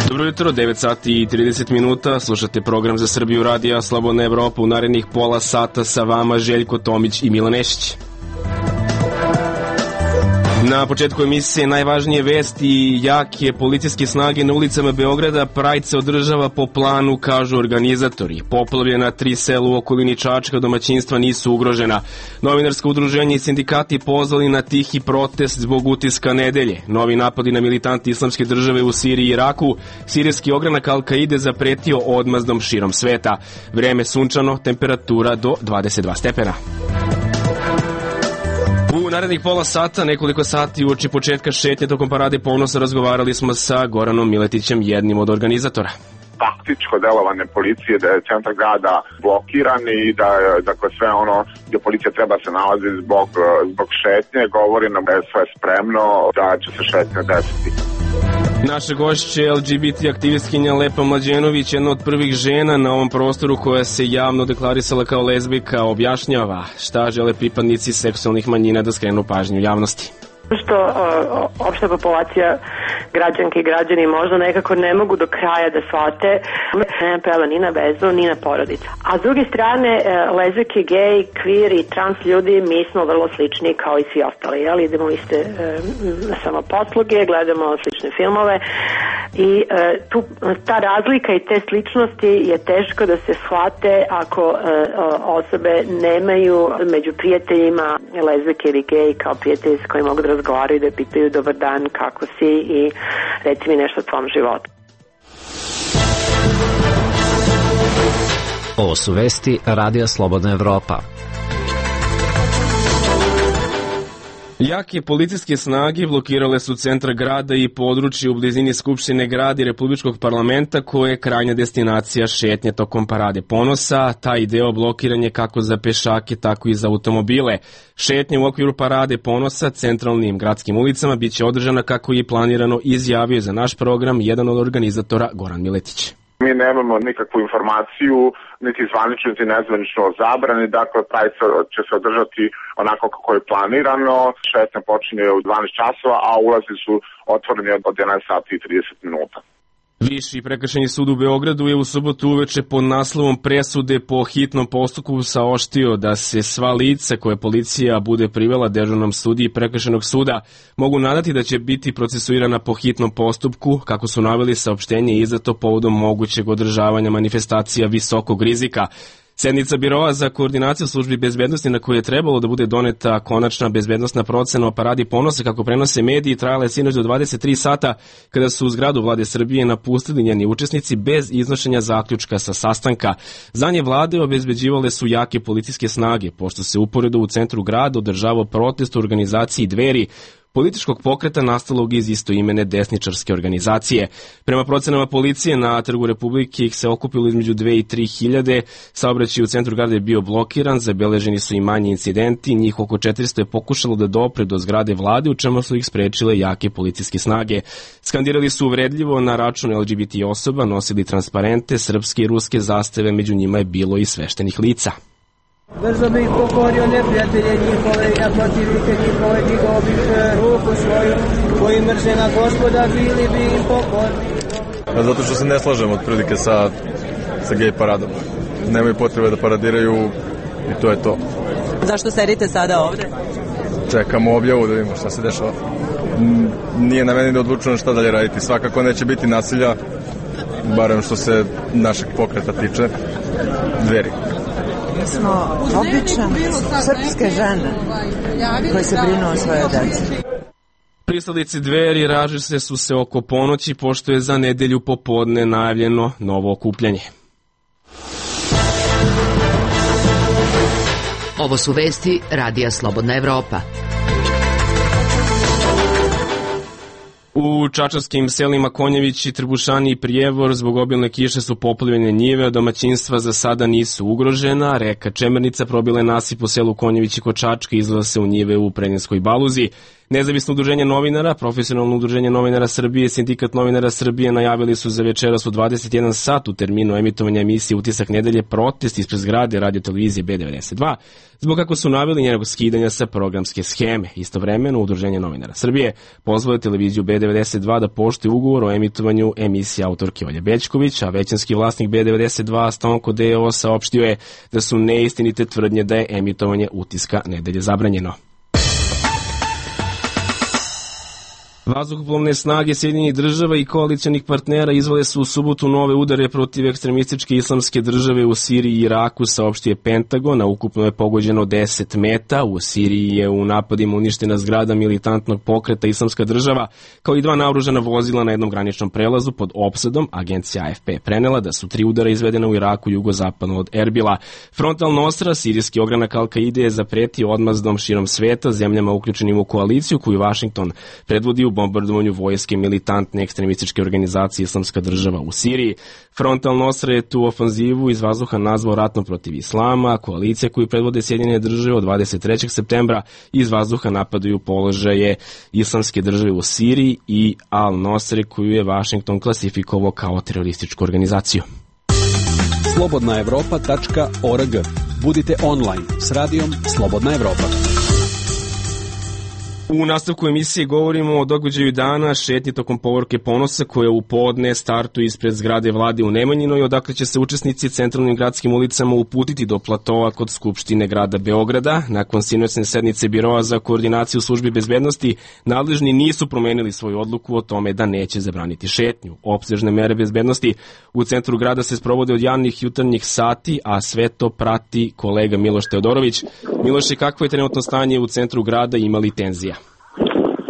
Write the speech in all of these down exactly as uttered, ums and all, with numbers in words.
Dobro jutro, devet sati i trideset minuta, slušate program za Srbiju radija Slobodna Evropa. U narednih pola sata sa vama Željko Tomić i Milan Nešić. Na početku emisije najvažnije vesti i jake policijske snage na ulicama Beograda. Pride se održava po planu, kažu organizatori. Poplavljena tri sela u okolini Čačka, domaćinstva nisu ugrožena. Novinarsko udruženje i sindikati pozvali na tihi protest zbog utiska nedelje. Novi napadi na militanti islamske države u Siriji i Iraku. Sirijski ogranak Al-Kaide zapretio odmazdom širom sveta. Vreme sunčano, temperatura do dvadeset dva stepena. U narednih pola sata, nekoliko sati uoči početka šetnje tokom Parade ponosa, razgovarali smo sa Goranom Miletićem, jednim od organizatora. Taktičko delovanje policije, da je centar grada blokiran i da je dakle, sve ono gdje policija treba se nalazi zbog, zbog šetnje, govori nam da je sve spremno, da će se šetnja desiti. Naša gošća je L G B T aktivistkinja Lepa Mlađenović, jedna od prvih žena na ovom prostoru koja se javno deklarisala kao lezbijka, objašnjava šta žele pripadnici seksualnih manjina da skrenu pažnju javnosti. Što o, opšta populacija građanke i građani možda nekako ne mogu do kraja da shvate, ne pela ni na vezu, ni na porodicu. A s druge strane, lezbijke, gej, queer i trans ljudi, mi smo vrlo slični kao i svi ostali. Jel? Idemo u iste e, samoposluge, gledamo slične filmove i e, tu, ta razlika i te sličnosti je teško da se shvate ako e, osobe nemaju među prijateljima lezbijke ili gej kao prijatelji s kojima mogu da razgovaraju, da pitaju dobar dan, kako si i reci mi nešto o tvom životu. Ovo su vesti Radija Slobodna Evropa. Jake policijske snage blokirale su centar grada i područje u blizini Skupštine grada i Republičkog parlamenta, koje je krajnja destinacija šetnje tokom Parade ponosa. Taj deo blokiran je kako za pešake, tako i za automobile. Šetnje u okviru Parade ponosa centralnim gradskim ulicama biće održana kako je planirano, izjavio za naš program jedan od organizatora Goran Miletić. Mi nemamo nikakvu informaciju, niti zvanično, niti nezvanično o zabrani, dakle, Pride će se održati onako kako je planirano, šetnja počinje u dvanaest časova, a ulazi su otvoreni od jedanaest sati i trideset minuta. Viši prekršajni sud u Beogradu je u subotu uveče pod naslovom presude po hitnom postupku saopštio da se sva lica koje policija bude privela dežurnom sudiji prekršajnog suda mogu nadati da će biti procesuirana po hitnom postupku, kako su naveli saopštenje izdato povodom mogućeg održavanja manifestacija visokog rizika. Sednica Biroa za koordinaciju službi bezbednosti, na kojoj je trebalo da bude doneta konačna bezbednostna procena o Paradi ponosa, kako prenose mediji, trajala je sinoć do dvadeset tri sata, kada su u zgradu Vlade Srbije napustili njeni učesnici bez iznošenja zaključka sa sastanka. Za nje vlade obezbeđivale su jake policijske snage, pošto se uporedo u centru grada održavao protest u organizaciji Dveri, političkog pokreta nastalog iz istoimene desničarske organizacije. Prema procenama policije, na Trgu Republike ih se okupilo između dve i tri hiljade, saobraćaj u centru grada je bio blokiran, zabeleženi su i manji incidenti, njih oko četiristo je pokušalo da dopre do zgrade vlade, u čemu su ih sprečile jake policijske snage. Skandirali su uvredljivo na račun L G B T osoba, nosili transparente, srpske i ruske zastave, među njima je bilo i sveštenih lica. Brzo bih pokorio neprijatelje njihove i na protivnike njihove, digao bih ruku svoju, koji mrze na Gospoda, bili bi im pokorni. Zato što se ne slažem otprilike sa, sa gej paradom. Nemaju potrebe da paradiraju i to je to. Zašto sedite sada ovde? Čekamo objavu da vidimo šta se dešava. Nije na meni da odlučujem šta dalje raditi. Svakako neće biti nasilja, barem što se našeg pokreta tiče. Dveri. Mi smo običan srpske žene koje se brinu o svoje djece. Pristalice Dveri ražile su se oko ponoći, pošto je za nedelju popodne najavljeno novo okupljanje. Ovo su vesti Radija Slobodna Evropa. U čačanskim selima Konjevići, Trbušani i Prijevor zbog obilne kiše su poplavljene njive, domaćinstva za sada nisu ugrožena. Reka Čemernica probila je nasip u selu Konjevići kod Čačka i izlila se u njive u Prednjanskoj Baluzi. Nezavisno udruženje novinara, Profesionalno udruženje novinara Srbije, Sindikat novinara Srbije najavili su za večeras u dvadeset jedan sat u terminu emitovanja emisije Utisak nedelje protest ispred zgrade radiotelevizije B devedeset dva, zbog kako su naveli njenog skidanja sa programske scheme. Istovremeno, Udruženje novinara Srbije pozvalo je televiziju B devedeset dva da poštuje ugovor o emitovanju emisije autorke Olje Bećković, a većinski vlasnik B devedeset dva Stonko D O saopštio je da su neistinite tvrdnje da je emitovanje Utiska nedelje zabranjeno. Vazduhoplovne snage Sjedinjenih država i koalicijonih partnera izvele su u subotu nove udare protiv ekstremističke islamske države u Siriji i Iraku, saopštio je Pentagon, a ukupno je pogođeno deset meta. U Siriji je u napadima uništena zgrada militantnog pokreta Islamska država, kao i dva naoružana vozila na jednom graničnom prelazu pod opsadom. Agencija A F P prenela da su tri udara izvedena u Iraku jugozapadno od Erbila. Front al-Nosra, sirijski ogranak Al-Kaide, je zapretio odmazdom širom sveta zemljama uključenim u koaliciju koju Vašington predvodi u bombardovanju vojske militantne ekstremističke organizacije Islamska država u Siriji. Front al-Nosra je tu ofanzivu iz vazduha nazvao ratnom protiv islama. Koalicija koju predvode Sjedinjene države od dvadeset trećeg septembra iz vazduha napadaju položaje Islamske države u Siriji i al-Nosre koju je Vašington klasifikovao kao terorističku organizaciju. slobodna evropa tačka org. Budite online s radijom Slobodna Evropa. U nastavku emisije govorimo o događaju dana, šetnji tokom povorke Ponosa koja u podne startuje ispred zgrade vlade u Nemanjinoj, odakle će se učesnici centralnim gradskim ulicama uputiti do platoa kod Skupštine grada Beograda. Nakon sinoćne sednice Biroa za koordinaciju službi bezbednosti, nadležni nisu promenili svoju odluku o tome da neće zabraniti šetnju. Opsežne mere bezbednosti u centru grada se sprovode od javnih jutarnjih sati, a sve to prati kolega Miloš Teodorović. Miloše, kakvo je trenutno stanje u centru grada i ima li tenzija?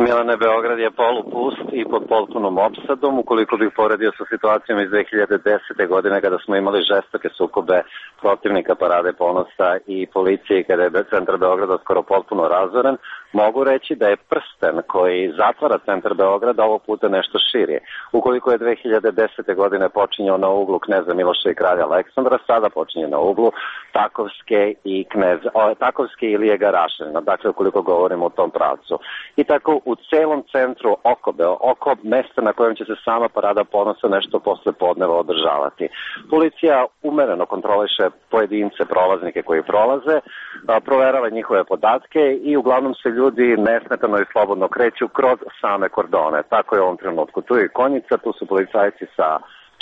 Milane, Beograd je polupust i pod potpunom opsadom. Ukoliko bih poredio sa situacijom iz dve hiljade desete. godine kada smo imali žestoke sukobe protivnika Parade Ponosa i policije kada je centar Beograda skoro potpuno razoren, mogu reći da je prsten koji zatvara centar Beograda ovog puta nešto širi. Ukoliko je dve hiljade desete. godine počinjao na uglu Kneza Miloša i kralja Aleksandra, sada počinje na uglu Takovske i Knez, o, Takovske i Ilije Garašanina, dakle ukoliko govorimo o tom pravcu. I tako u celom centru oko, oko mesta na kojem će se sama Parada Ponosa nešto posle podneva održavati. Policija umereno kontroliše pojedince, prolaznike koji prolaze, proverava njihove podatke i uglavnom se ljudi nesmetano i slobodno kreću kroz same kordone. Tako je u ovom trenutku. Tu je i konjica, tu su policajci sa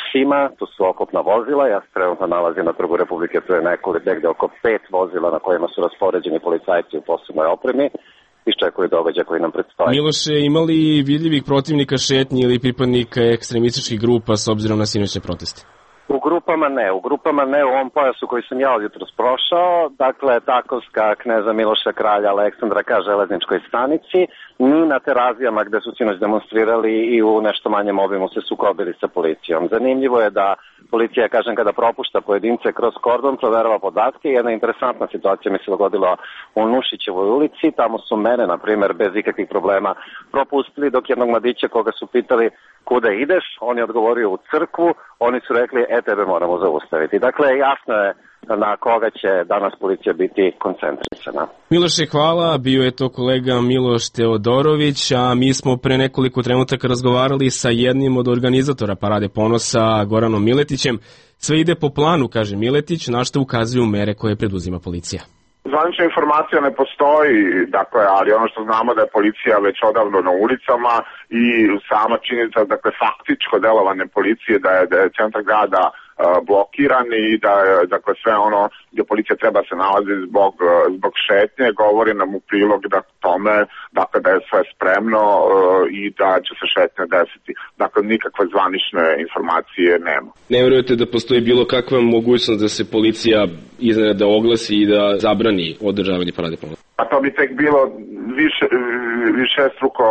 psima, tu su okopna vozila. Ja se trenutno nalazim na Trgu Republike, tu je nekoliko, negde oko pet vozila na kojima su raspoređeni policajci u posebnoj opremi. Iščekuju događaj koji nam predstoji. Miloše, imali vidljivih protivnika šetnji ili pripadnika ekstremističkih grupa s obzirom na sinoćne proteste? U grupama ne, u grupama ne u ovom pojasu koji sam ja od jutros prošao, dakle Takovska, Kneza Miloša, kralja Aleksandra ka železničkoj stanici, ni na terazijama gde su sinoć demonstrirali i u nešto manjem obimu se sukobili sa policijom. Zanimljivo je da policija, kažem, kada propušta pojedince kroz kordon, proverava podatke. Jedna interesantna situacija mi se dogodila u Nušićevoj ulici, tamo su mene, na primer, bez ikakvih problema propustili, dok jednog mladića koga su pitali kuda ideš, on je odgovorio u crkvu, oni su rekli, e, tebe moramo zaustaviti. Dakle, jasno je na koga će danas policija biti koncentrisana. Miloše, hvala. Bio je to kolega Miloš Teodorović, a mi smo pre nekoliko trenutaka razgovarali sa jednim od organizatora Parade Ponosa, Goranom Miletićem. Sve ide po planu, kaže Miletić, na što ukazuju mere koje preduzima policija. Zvanična informacija ne postoji, dakle, ali ono što znamo da je policija već odavno na ulicama i sama činjenica, dakle, faktičko delovanje policije da je, da je centar grada blokiran i da dakle sve ono gdje policija treba se nalazi zbog, zbog šetnje govori nam u prilog da tome dakle da je sve spremno i da će se šetnja desiti. Dakle nikakve zvanične informacije nema. Ne vjerujete da postoji bilo kakva mogućnost da se policija iznenada oglasi i da zabrani održavanje Parade Ponosa? Pa to bi tek bilo više, više struko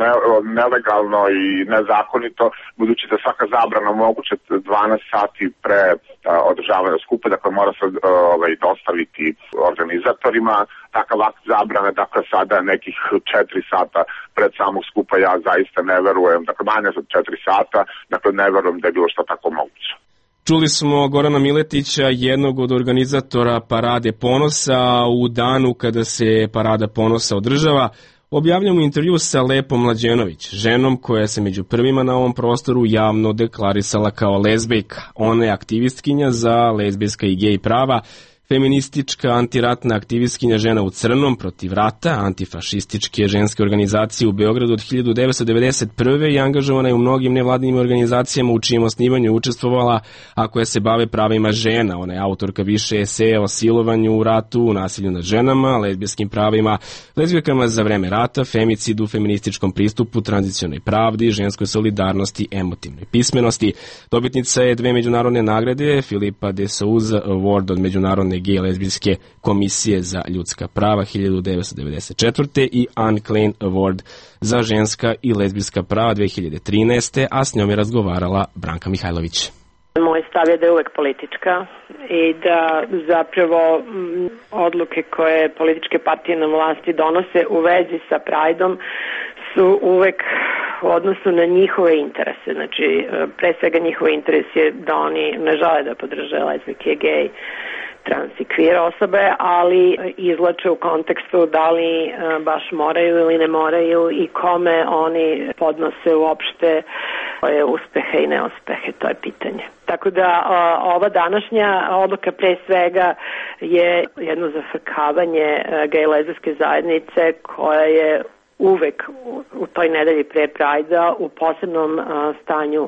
ne, nelegalno i nezakonito, budući da svaka zabrana moguće dvanaest sati pre a, održavanja skupa, dakle mora se ovaj, dostaviti organizatorima. Takav akt zabrane, dakle sada nekih četiri sata pred samog skupa, ja zaista ne verujem, dakle manje od četiri sata, dakle ne verujem da je bilo što tako moguće. Čuli smo Gorana Miletića, jednog od organizatora Parade Ponosa, u danu kada se Parada Ponosa održava. objavljamo intervju sa Lepom Mlađenović, ženom koja se među prvima na ovom prostoru javno deklarisala kao lezbejka. Ona je aktivistkinja za lezbijska i gej prava, feministička antiratna aktivistkinja Žena u crnom protiv rata, antifašističke ženske organizacije u Beogradu od hiljadu devetsto devedeset prve i angažovana je u mnogim nevladinim organizacijama u čijem osnivanju učestvovala, a koje se bave pravima žena. Ona je autorka više eseja o silovanju u ratu, nasilju nad ženama, lezbijskim pravima, lezbijkama za vreme rata, femicidu, feminističkom pristupu, tranzicionoj pravdi, ženskoj solidarnosti, emotivnoj pismenosti. Dobitnica je dve međunarodne nagrade, Filipa de Souza Award od Međunarodne gej lezbijske komisije za ljudska prava hiljadu devetsto devedeset četvrte i Anne Klein Award za ženska i lezbijska prava dve hiljade trinaeste. a s njom je razgovarala Branka Mihajlović. Moj stav je da je uvek politička i da zapravo m, odluke koje političke partije na vlasti donose u vezi sa Prideom su uvek u odnosu na njihove interese. Znači, pre svega njihov interes je da oni ne žele da podrže lezbijke, gej, trans i queer osobe, ali izlače u kontekstu da li baš moraju ili ne moraju i kome oni podnose uopšte svoje uspehe i neuspehe, to je pitanje. Tako da ova današnja odluka pre svega je jedno zafrkavanje gej lezbijske zajednice koja je uvek u toj nedelji pre Prajda u posebnom stanju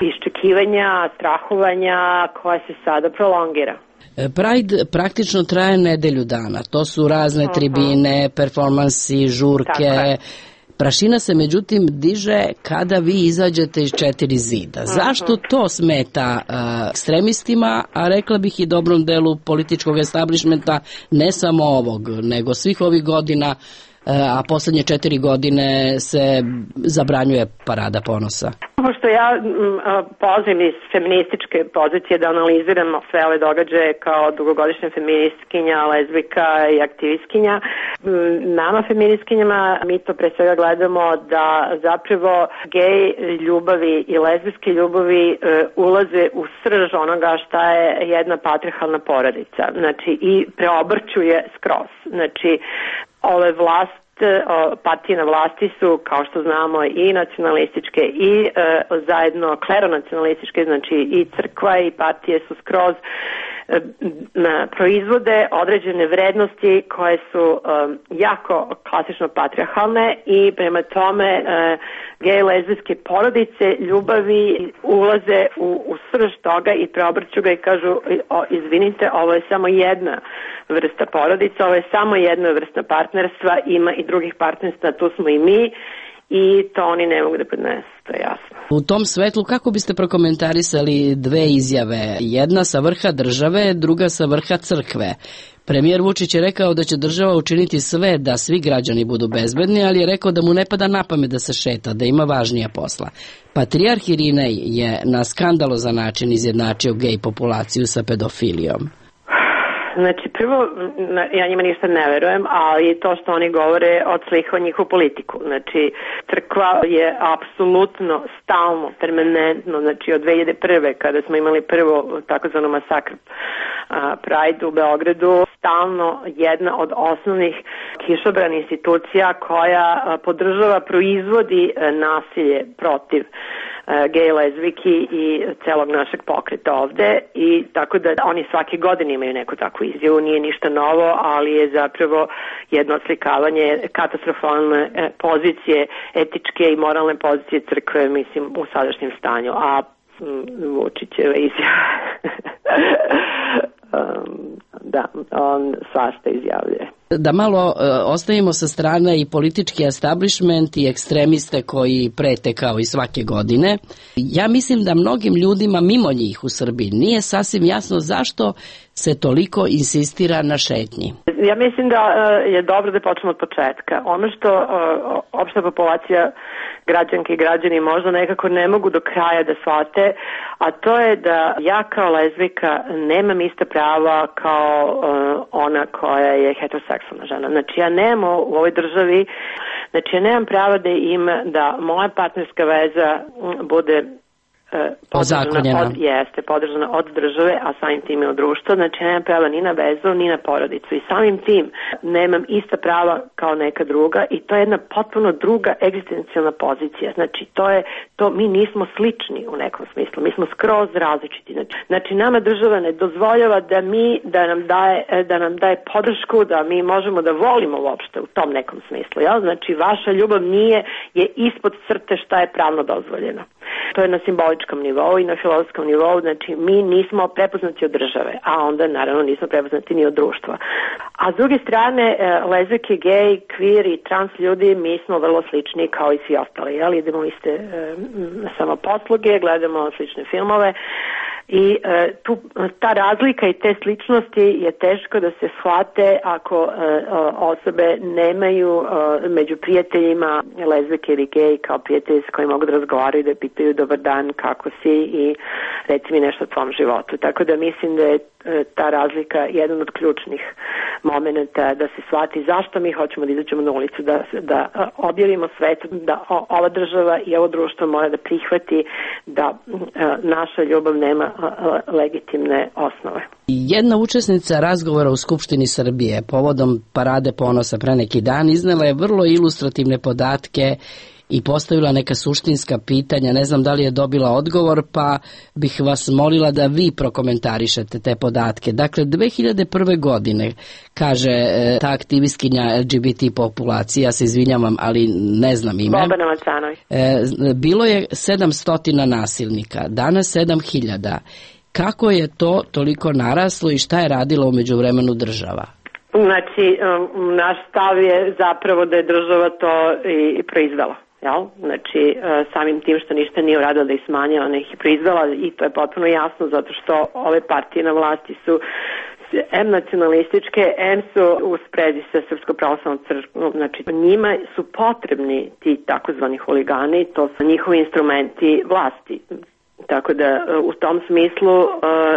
iščekivanja, strahovanja koja se sada prolongira. Pride praktično traje nedelju dana. To su razne uh-huh. tribine, performansi, žurke. Prašina se međutim diže kada vi izađete iz četiri zida. Uh-huh. Zašto to smeta uh, ekstremistima, a rekla bih i dobrom delu političkog establishmenta, ne samo ovog, nego svih ovih godina, a poslednje četiri godine se zabranjuje parada ponosa? Pošto ja polazim iz feminističke pozicije da analiziram sve ove događaje kao dugogodišnja feministkinja, lezbijka i aktivistkinja, nama feministkinjama mi to pre svega gledamo da zapravo gej ljubavi i lezbijske ljubavi ulaze u srž onoga šta je jedna patrijarhalna porodica. Znači i preobrćuje skroz. Znači ove vlast, partije na vlasti su, kao što znamo, i nacionalističke i e, zajedno kleronacionalističke, znači i crkva i partije su skroz e, na, proizvode određene vrednosti koje su e, jako klasično patrijarhalne i prema tome e, gej lezbijske porodice ljubavi ulaze u, u srž toga i preobrću ga i kažu o, izvinite, ovo je samo jedna vrsta porodica, ovo je samo jedna vrsta partnerstva, ima i drugih partnerstva, tu smo i mi i to oni ne mogu da podnesu, to je jasno. U tom svetlu kako biste prokomentarisali dve izjave? Jedna sa vrha države, druga sa vrha crkve. Premijer Vučić je rekao da će država učiniti sve da svi građani budu bezbedni, ali je rekao da mu ne pada na pamet da se šeta, da ima važnija posla. Patrijarh Irinej je na skandalozan način izjednačio gej populaciju sa pedofilijom. Znači, prvo, ja njima ništa ne verujem, ali to što oni govore odslikava njihovu politiku. Znači, crkva je apsolutno, stalno, permanentno, znači od dve hiljade prve kada smo imali prvo takozvano masakr Pride u Beogradu, stalno jedna od osnovnih kišobrana institucija koja podržava, proizvodi nasilje protiv gej, lezbijki i celog našeg pokreta ovde i tako da oni svake godine imaju neku takvu izjavu, nije ništa novo, ali je zapravo jedno odslikavanje katastrofalne pozicije, etičke i moralne pozicije crkve, mislim, u sadašnjem stanju, a Vučićeva izjava um, da, on svašta izjavljuje. Da malo uh, ostavimo sa strane i politički establishment i ekstremiste koji prete kao i svake godine. Ja mislim da mnogim ljudima mimo njih u Srbiji nije sasvim jasno zašto se toliko insistira na šetnji. Ja mislim da uh, je dobro da počnemo od početka. Ono što uh, opšta populacija građanke i građani možda nekako ne mogu do kraja da shvate, a to je da ja kao lezbijka nemam ista prava kao uh, ona koja je heteroseksualna žena. Znači ja nemam u ovoj državi, znači ja nemam prava da ima, da moja partnerska veza bude podržana od, jeste, podržana od države, a samim tim i od društva, znači nemam prava ni na vezu, ni na porodicu i samim tim nemam ista prava kao neka druga i to je jedna potpuno druga egzistencijalna pozicija, znači to je, to mi nismo slični u nekom smislu, mi smo skroz različiti, znači, znači nama država ne dozvoljava da mi, da nam daje, da nam daje podršku, da mi možemo da volimo uopšte u tom nekom smislu, jel? Znači vaša ljubav nije, je ispod crte šta je pravno dozvoljeno. To je na simboličkom nivou i na filozofskom nivou, znači mi nismo prepoznati od države, a onda naravno nismo prepoznati ni od društva. A s druge strane, lezbijke, gej, kvir i trans ljudi, mi smo vrlo slični kao i svi ostali, jel? Idemo iste e, samoposluge, gledamo slične filmove i e, tu, ta razlika i te sličnosti je teško da se shvate ako e, osobe nemaju e, među prijateljima lezbijke ili gej kao prijatelji s kojima mogu da razgovaraju, da pitaju dobar dan, kako si i reci mi nešto o tvom životu. Tako da mislim da je ta razlika jedan od ključnih momenta da se shvati zašto mi hoćemo da izađemo na ulicu, da, da objavimo svetu da ova država i ovo društvo mora da prihvati da naša ljubav nema legitimne osnove. Jedna učesnica razgovora u Skupštini Srbije povodom Parade ponosa pre neki dan iznela je vrlo ilustrativne podatke i postavila neka suštinska pitanja, ne znam da li je dobila odgovor, pa bih vas molila da vi prokomentarišete te podatke. Dakle, dve hiljade prve. godine, kaže ta aktivistkinja L G B T populacije, ja se izvinjavam, ali ne znam ime. Bobana Macanović. Bilo je sedamsto nasilnika, danas sedam hiljada. Kako je to toliko naraslo i šta je radila u međuvremenu država? Znači, naš stav je zapravo da je država to i proizvela. Jel? Znači, samim tim što ništa nije uradila da ih smanjila, ona ih je proizvela i to je potpuno jasno zato što ove partije na vlasti su em nacionalističke, em su u sprezi sa Srpsko pravoslavnom crkvom, znači njima su potrebni ti takozvani huligani, to su njihovi instrumenti vlasti. Tako da u tom smislu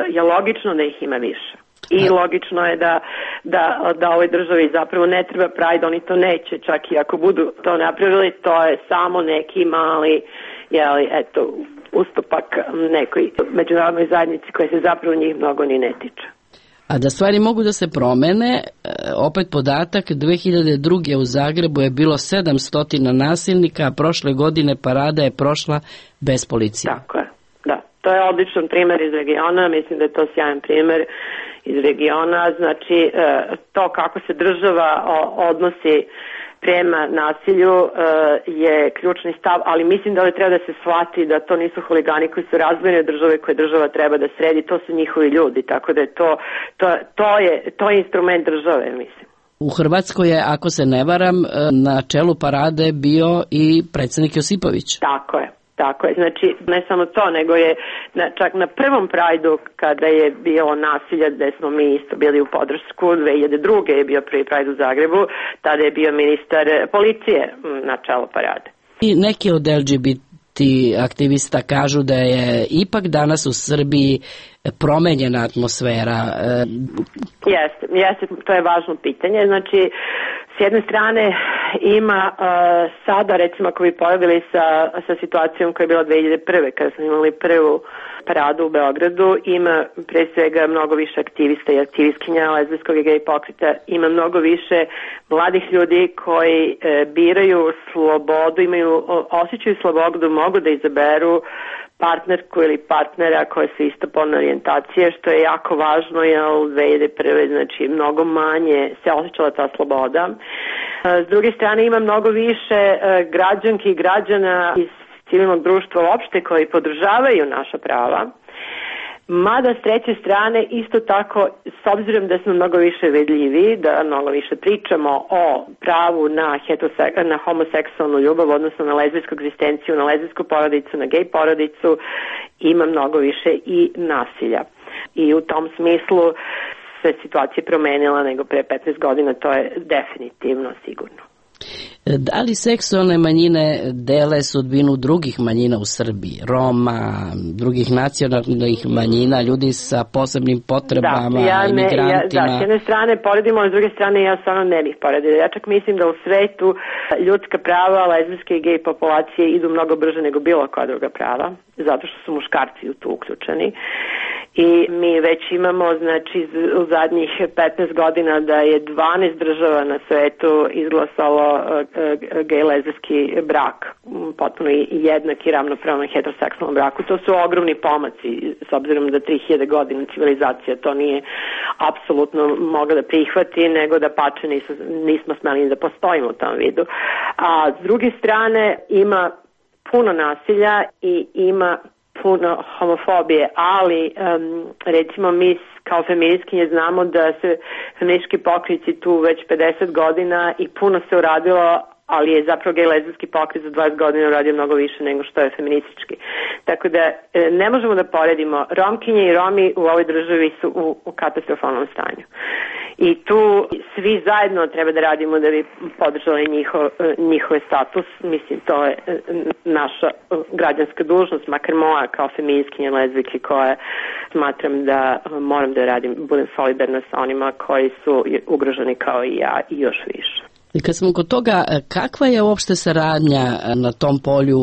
je logično da ih ima više. I logično je da, da, da ovoj državi zapravo ne treba Pride, oni to neće, čak i ako budu to napravili, to je samo neki mali, jeli, eto, ustupak nekoj međunarodnoj zajednici koja se zapravo njih mnogo ni ne tiče. A da stvari mogu da se promene, opet podatak, dve hiljade druge. u Zagrebu je bilo sedamsto nasilnika, a prošle godine Parada je prošla bez policije. Tako je, da. To je odličan primer iz regiona, mislim da je to sjajan primer iz regiona, znači to kako se država odnosi prema nasilju je ključni stav, ali mislim da ovdje treba da se shvati da to nisu huligani koji su razvojene države koje država treba da sredi, to su njihovi ljudi, tako da je to, to, to, je, to je instrument države, mislim. U Hrvatskoj je, ako se ne varam, na čelu Parade bio i predsjednik Josipović. Tako je. Tako je, znači ne samo to, nego je na, čak na prvom Prajdu kada je bilo nasilje, gde smo mi isto bili u podršku, dve hiljade druge. je bio prvi Prajd u Zagrebu, tada je bio ministar policije na čelu Parade. I neki od L G B T aktivista kažu da je ipak danas u Srbiji promenjena atmosfera. Jeste, jeste, to je važno pitanje, znači s jedne strane ima uh, sada, recimo ako bi poredili sa, sa situacijom koja je bila dve hiljade prve. kada smo imali prvu paradu u Beogradu, ima pre svega mnogo više aktivista i aktivistkinja lezbijskog i gej pokreta, ima mnogo više mladih ljudi koji e, biraju slobodu, imaju osjećaju slobodu, mogu da izaberu partnerku ili partnera koje su istopolne orijentacije, što je jako važno, jer u dve hiljade prve. znači mnogo manje se osjećala ta sloboda. S druge strane ima mnogo više građanki i građana iz civilnog društva uopšte koji podržavaju naša prava. Mada s treće strane isto tako, s obzirom da smo mnogo više vidljivi, da mnogo više pričamo o pravu na, heterosek- na homoseksualnu ljubav, odnosno na lezbijsku egzistenciju, na lezbijsku porodicu, na gej porodicu, ima mnogo više i nasilja. I u tom smislu se situacija promenila nego pre petnaest godina, to je definitivno sigurno. Da li seksualne manjine dele sudbinu drugih manjina u Srbiji? Roma, drugih nacionalnih manjina, ljudi sa posebnim potrebama, da, ja ne, imigrantima? Ja, da, s jedne strane poredimo, a s druge strane ja stvarno ne bih poredila. Ja čak mislim da u svetu ljudska prava, lezbijske i gej populacije idu mnogo brže nego bilo koja druga prava, zato što su muškarci u tu uključeni. I mi već imamo, znači, u zadnjih petnaest godina da je dvanaest država na svetu izglasalo gej lezbijski brak, potpuno jednak i ravnopravno heteroseksualnom braku. To su ogromni pomaci, s obzirom da tri hiljade godina civilizacija to nije apsolutno mogla da prihvati, nego da pače nismo, nismo smeli da postojimo u tom vidu. A s druge strane ima puno nasilja i ima puno homofobije, ali um, recimo mi kao feministkinje znamo da se feministički pokrici tu već pedeset godina i puno se uradilo, ali je zapravo gej lezbijski pokret za dvadeset godina uradio mnogo više nego što je feministički. Tako da ne možemo da poredimo. Romkinje i Romi u ovoj državi su u, u katastrofalnom stanju. I tu svi zajedno treba da radimo da bi podržali njihov, njihov status. Mislim, to je naša građanska dužnost, makar moja kao feministkinja lezbijke koja smatram da moram da radim, budem solidarna sa onima koji su ugroženi kao i ja i još više. I kad smo kod toga, kakva je uopšte saradnja na tom polju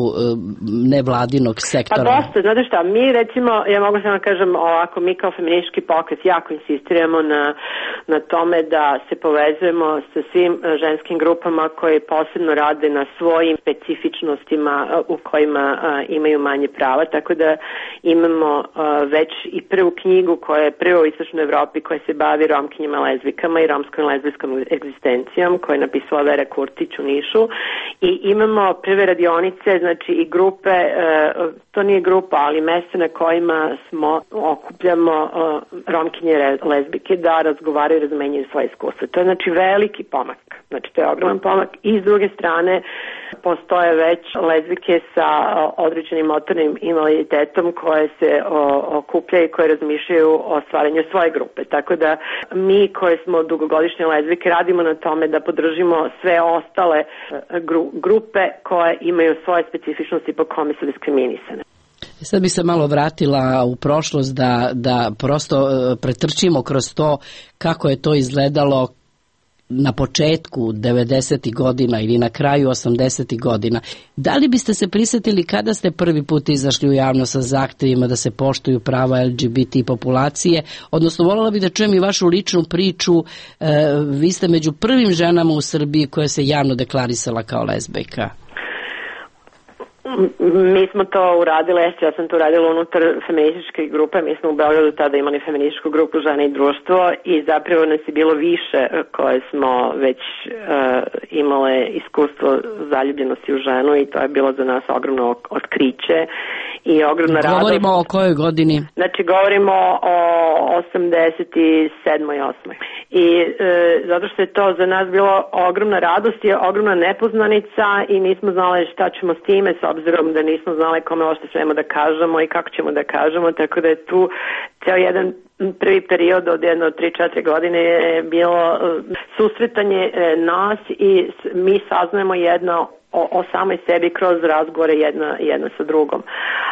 nevladinog sektora? Pa dosta, znate šta, mi recimo, ja mogu samo kažem ovako, mi kao feministički pokret jako insistiramo na, na tome da se povezujemo sa svim ženskim grupama koje posebno rade na svojim specifičnostima u kojima a, imaju manje prava, tako da imamo a, već i prvu knjigu koja je prva u Istočnoj Evropi koja se bavi romkinjama, lezbikama i romskom lezbijskom egzistencijom, koja je napisala Vera Kurtić u Nišu, i imamo prve radionice, znači i grupe, e, to nije grupa, ali mesta na kojima smo okupljamo e, romkinje lezbike da razgovaraju i razmenjuju svoje iskustva. To je znači veliki pomak, znači to je ogroman pomak, i s druge strane postoje već lezbike sa određenim motornim invaliditetom koje se o, okupljaju i koje razmišljaju o stvaranju svoje grupe. Tako da mi koje smo dugogodišnje lezbike radimo na tome da podržimo sve ostale gru, grupe koje imaju svoje specifičnosti po kome su diskriminisane. Sad bi se malo vratila u prošlost da, da prosto pretrčimo kroz to kako je to izgledalo na početku devedesetih godina ili na kraju osamdesetih godina. Da li biste se prisjetili kada ste prvi put izašli u javnost sa zahtevima da se poštuju prava L G B T populacije? Odnosno, voljela bih da čujem i vašu ličnu priču. E, vi ste među prvim ženama u Srbiji koja se javno deklarisala kao lezbejka. Mi smo to uradile, ja sam to uradila unutar feminističke grupe, mi smo u Beogradu tada imali feminističku grupu Žene i društvo i zapravo nas je bilo više koje smo već uh, imale iskustvo zaljubljenosti u ženu i to je bilo za nas ogromno otkriće i ogromna radost. Govorimo o kojoj godini? Znači govorimo o osamdeset sedmoj i osmoj I e, zato što je to za nas bilo ogromna radost i ogromna nepoznanica i nismo znali šta ćemo s time, s obzirom da nismo znali kome ošte smemo da kažemo i kako ćemo da kažemo, tako da je tu ceo jedan prvi period od jedno tri četiri godine je bilo susretanje nas i mi saznajemo jedno o, o samoj sebi kroz razgovore jedna, jedna sa drugom.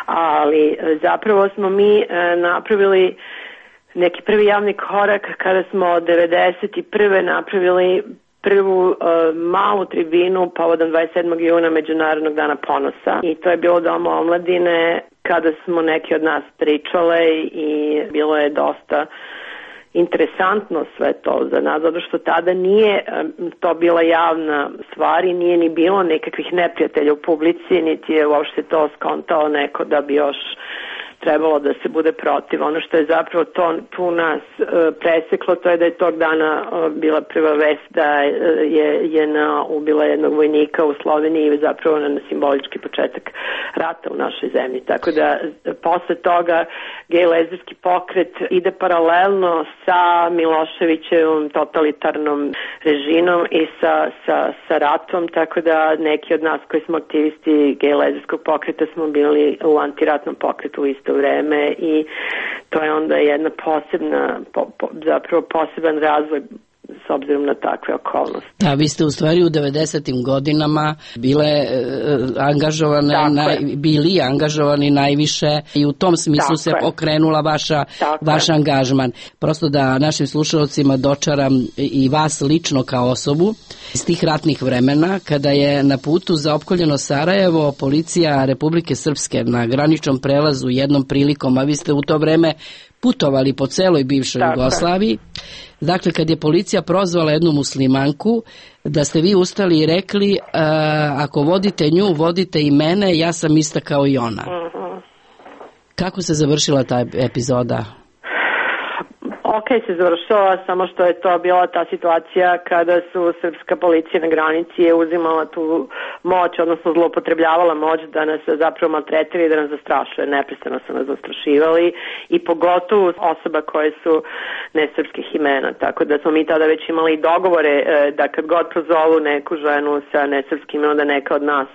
Ali zapravo smo mi napravili neki prvi javni korak kada smo devedeset prve napravili prvu uh, malu tribinu povodom dvadeset sedmog juna Međunarodnog dana ponosa i to je bilo Doma omladine kada smo neki od nas pričale i bilo je dosta interesantno sve to za nas, zato što tada nije um, to bila javna stvar i nije ni bilo nekakvih neprijatelja u publici, niti je uopšte to skontao neko da bi još trebalo da se bude protiv. Ono što je zapravo to, tu nas e, preseklo, to je da je tog dana e, bila prva vest da je JNA ubila jednog vojnika u Sloveniji i zapravo na simbolički početak rata u našoj zemlji. Tako da posle toga gej lezbijski pokret ide paralelno sa Miloševićevim totalitarnom režimom i sa, sa, sa ratom, tako da neki od nas koji smo aktivisti gej lezbijskog pokreta smo bili u antiratnom pokretu isto vreme i to je onda jedna posebna, po, po, zapravo poseban razvoj s obzirom na takve okolnosti. Da, vi ste u stvari u devedesetim godinama bile e, angažovane, naj, bili angažovani najviše i u tom smislu Tako se je. okrenula vaša, vaš angažman. Prosto da našim slušalcima dočaram i vas lično kao osobu iz tih ratnih vremena, kada je na putu za opkoljeno Sarajevo policija Republike Srpske na graničnom prelazu jednom prilikom, a vi ste u to vreme putovali po celoj bivšoj Tako. Jugoslaviji. Dakle, kad je policija prozvala jednu muslimanku, da ste vi ustali i rekli uh, ako vodite nju, vodite i mene, ja sam ista kao i ona. Uh-huh. Kako se završila ta epizoda? Ok se završila, samo što je to bila ta situacija kada su srpska policija na granici je uzimala tu moć, odnosno zloupotrebljavala moć da nas zapravo maltretiraju i da nas zastrašuje. Neprestano su nas zastrašivali i pogotovo osoba koje su nesrpskih imena. Tako da smo mi tada već imali dogovore da kad god prozovu neku ženu sa nesrpskim imenom da neka od nas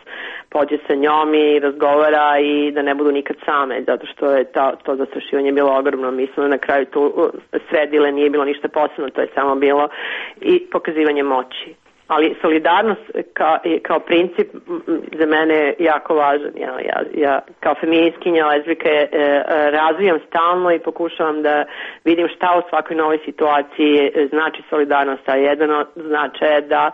pođe sa njom i razgovara i da ne budu nikad same, zato što je ta, to zastrašivanje bilo ogromno. Mi smo na kraju tu sredile, nije bilo ništa posebno, to je samo bilo i pokazivanje moći. Ali solidarnost kao, kao princip za mene je jako važan. Ja, ja, ja kao feministkinja, lezbijka e, razvijam stalno i pokušavam da vidim šta u svakoj novoj situaciji znači solidarnost. A jedan od značaja je da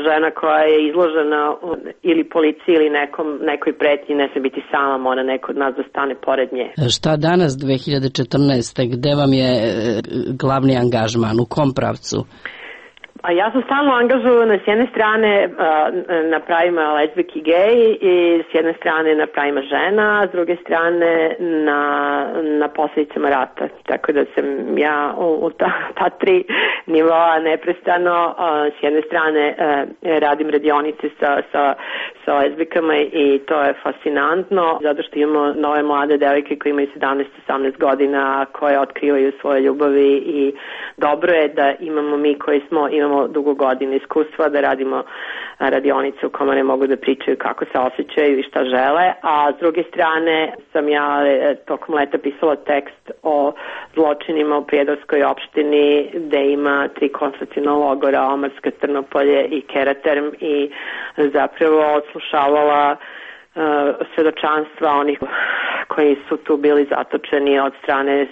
žena koja je izložena ili policiji ili nekom, nekoj pretnji ne se biti sama, mora neko od nas da stane pored nje. Šta danas dve hiljade četrnaeste. Gde vam je glavni angažman? U kom pravcu? A ja sam stalno angažovana s jedne strane na pravima lezbijki i gej i s jedne strane na pravima žena, a s druge strane na, na posljedicama rata. Tako da sam ja u, u ta, ta tri nivoa neprestano. S jedne strane radim radionice sa, sa, sa lezbijkama i to je fascinantno, zato što imamo nove mlade devojke koje imaju sedamnaest osamnaest godina, koje otkrivaju svoje ljubavi i dobro je da imamo mi koji smo, imamo dugo godina iskustva da radimo radionice u kojima ne mogu da pričaju kako se osjećaju i šta žele, a s druge strane sam ja tokom leta pisala tekst o zločinima u Prijedorskoj opštini gde ima tri koncentraciona logora, Omarska, Trnopolje i Keraterm i zapravo odslušavala uh, svedočanstva onih koji su tu bili zatočeni od strane uh,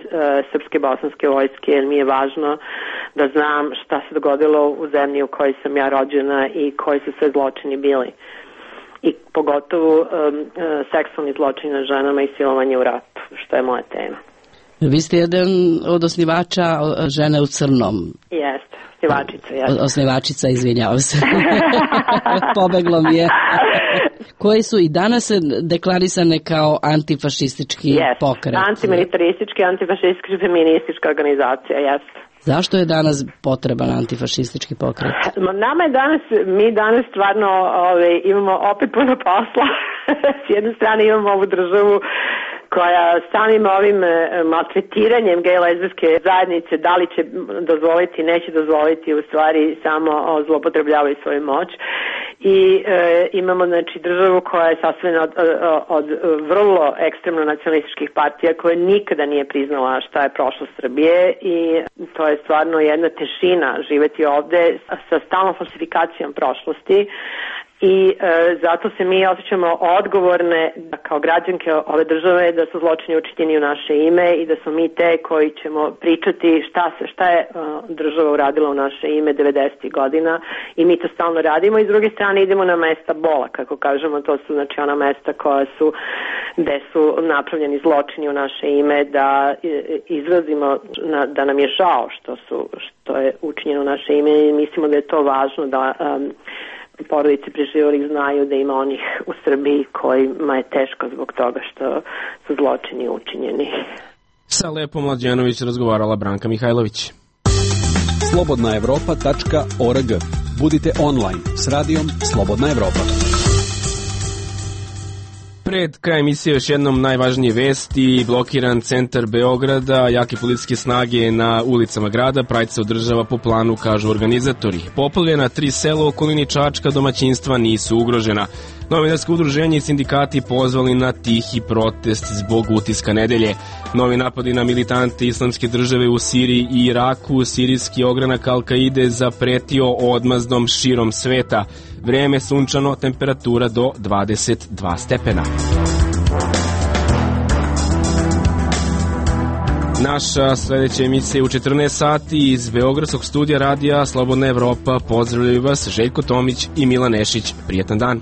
srpske bosanske vojske, jer mi je važno da znam šta se dogodilo u zemlji u kojoj sam ja rođena i koji su sve zločini bili. I pogotovo um, uh, seksualni zločini na ženama i silovanje u ratu, što je moja tema. Vi ste jedan od osnivača Žene u crnom. Jeste, osnivačica. Jeste. Osnivačica, izvinjavam se. Pobeglo mi je. Koji su i danas deklarisane kao antifašistički yes. pokret. Antimilitaristički, antifašistički, feministička organizacija, jeste. Zašto je danas potreban antifašistički pokret? Nama je danas, mi danas stvarno ove, imamo opet puno posla. S jedne strane imamo ovu državu koja samim ovim maltretiranjem gej lezbijske zajednice da li će dozvoliti, neće dozvoliti, u stvari samo zloupotrebljavaju svoju moć. I e, imamo znači državu koja je sastavljena od, od, od vrlo ekstremno nacionalističkih partija koja nikada nije priznala šta je prošlost Srbije i to je stvarno jedna tešina živeti ovde sa stalnom falsifikacijom prošlosti. I e, zato se mi osjećamo odgovorne kao građanke ove države da su zločini učinjeni u naše ime i da smo mi te koji ćemo pričati šta se šta je uh, država uradila u naše ime devedesetih godina i mi to stalno radimo i s druge strane idemo na mesta bola, kako kažemo, to su znači ona mesta koja su gde su napravljeni zločini u naše ime, da izrazimo na, da nam je žao što su što je učinjeno u naše ime i mislimo da je to važno da um, porodice preživelih znaju da ima onih u Srbiji kojima je teško zbog toga što su zločini učinjeni. Sa Lepom Mlađanović razgovarala Branka Mihajlović. slobodna evropa tačka org. Budite online s radijom Slobodna Evropa. Pred kraj emisije još jednom najvažnije vesti. Blokiran centar Beograda, jake policijske snage na ulicama grada, Pride se održava po planu, kažu organizatori. Poplavljena tri sela u okolini Čačka, domaćinstva nisu ugrožena. Novinarsko udruženje i sindikati pozvali na tihi protest zbog utiska nedelje. Novi napadi na militante islamske države u Siriji i Iraku, sirijski ogranak Al-Kaide zapretio odmazdom širom sveta. Vreme sunčano, temperatura do dvadeset dva stepena. Naša sledeća emisija u četrnaest sati iz Beogradskog studija radija Slobodna Evropa. Pozdravljaju vas Željko Tomić i Milan Nešić. Prijetan dan.